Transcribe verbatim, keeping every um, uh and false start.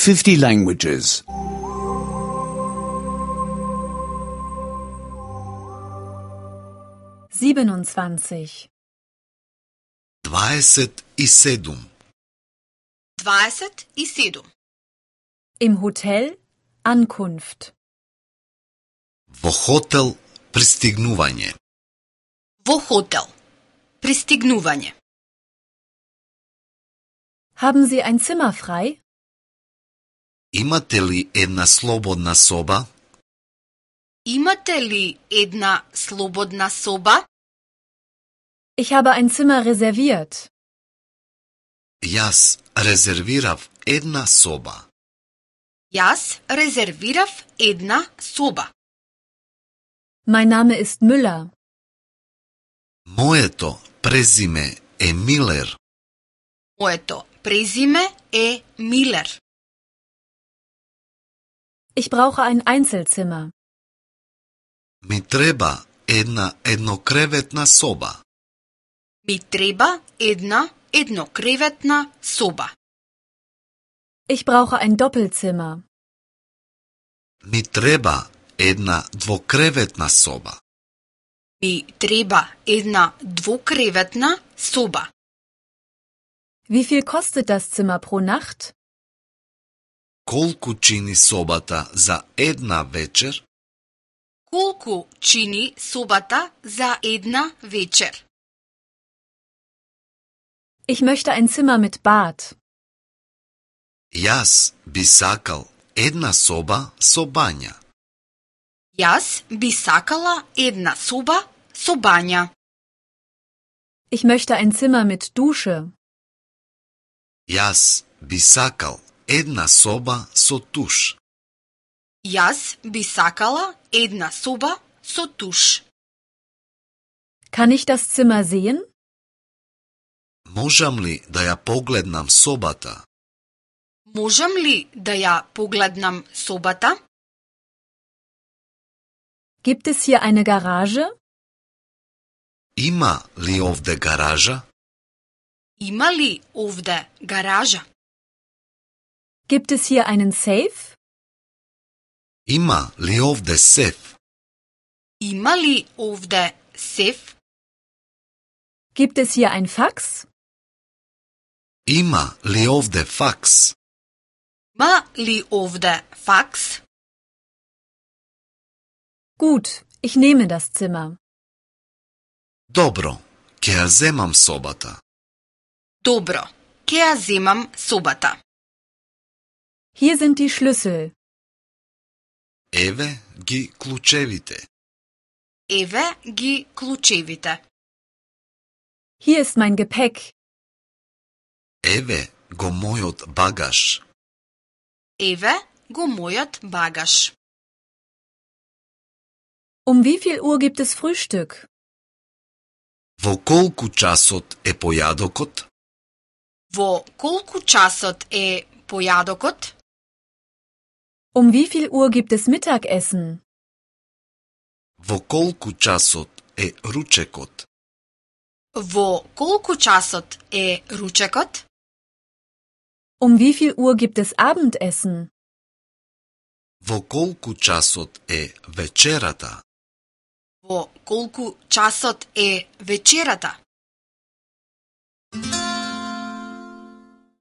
fifty languages. siebenundzwanzig. дваесет и седум. дваесет и седум. Im Hotel Ankunft. Во хотел пристигнување. Во хотел. Пристигнување. Haben Sie ein Zimmer frei? Имате ли една слободна соба? Имате ли една слободна соба? Ich habe ein Zimmer reserviert. Јас резервирав една соба. Јас резервирав една соба. Mein Name ist Müller. Моето презиме е Милер. Моето презиме е Милер. Ich brauche ein Einzelzimmer. Ми треба една еднокреветна соба. Ми треба една еднокреветна соба. Ich brauche ein Doppelzimmer. Ми треба една двокреветна соба. Ми треба една двукреветна соба. Wie viel kostet das Zimmer pro Nacht? Колку чини собата за една вечер? Колку чини собата за една вечер? Ich möchte ein Zimmer mit Bad. Јас би сакал една соба со бања. Јас би сакала една соба со бања. Ich möchte ein Zimmer mit Dusche. Јас би сакал една соба со туш. Јас би сакала една соба со туш. Kann ich das Zimmer sehen? Можам ли да ја погледнам собата? Можам ли да ја погледнам собата? Gibt es hier eine Garage? Има ли овде гаража? Има ли овде гаража? Gibt es hier einen Safe? Има ли овде сеф? Има ли овде сеф? Gibt es hier ein Fax? Има ли овде факс? Има ли овде факс? Gut, ich nehme das Zimmer. Добро, ќе ја земам собата. Добро, ќе ја земам собата. Hier sind die Schlüssel. Еве ги клучевите. Еве ги клучевите. Hier ist mein Gepäck. Еве го мојот багаж. Еве го мојот багаж. Um wie viel Uhr gibt es Frühstück? Во колку часот е појадокот? Во колку часот е појадокот? Um wie viel Uhr gibt es Mittagessen? Во колку часот е ручекот? Во колку часот е ручекот? Um wie viel Uhr gibt es Abendessen? Во колку часот е вечерата? Во колку часот е вечерата?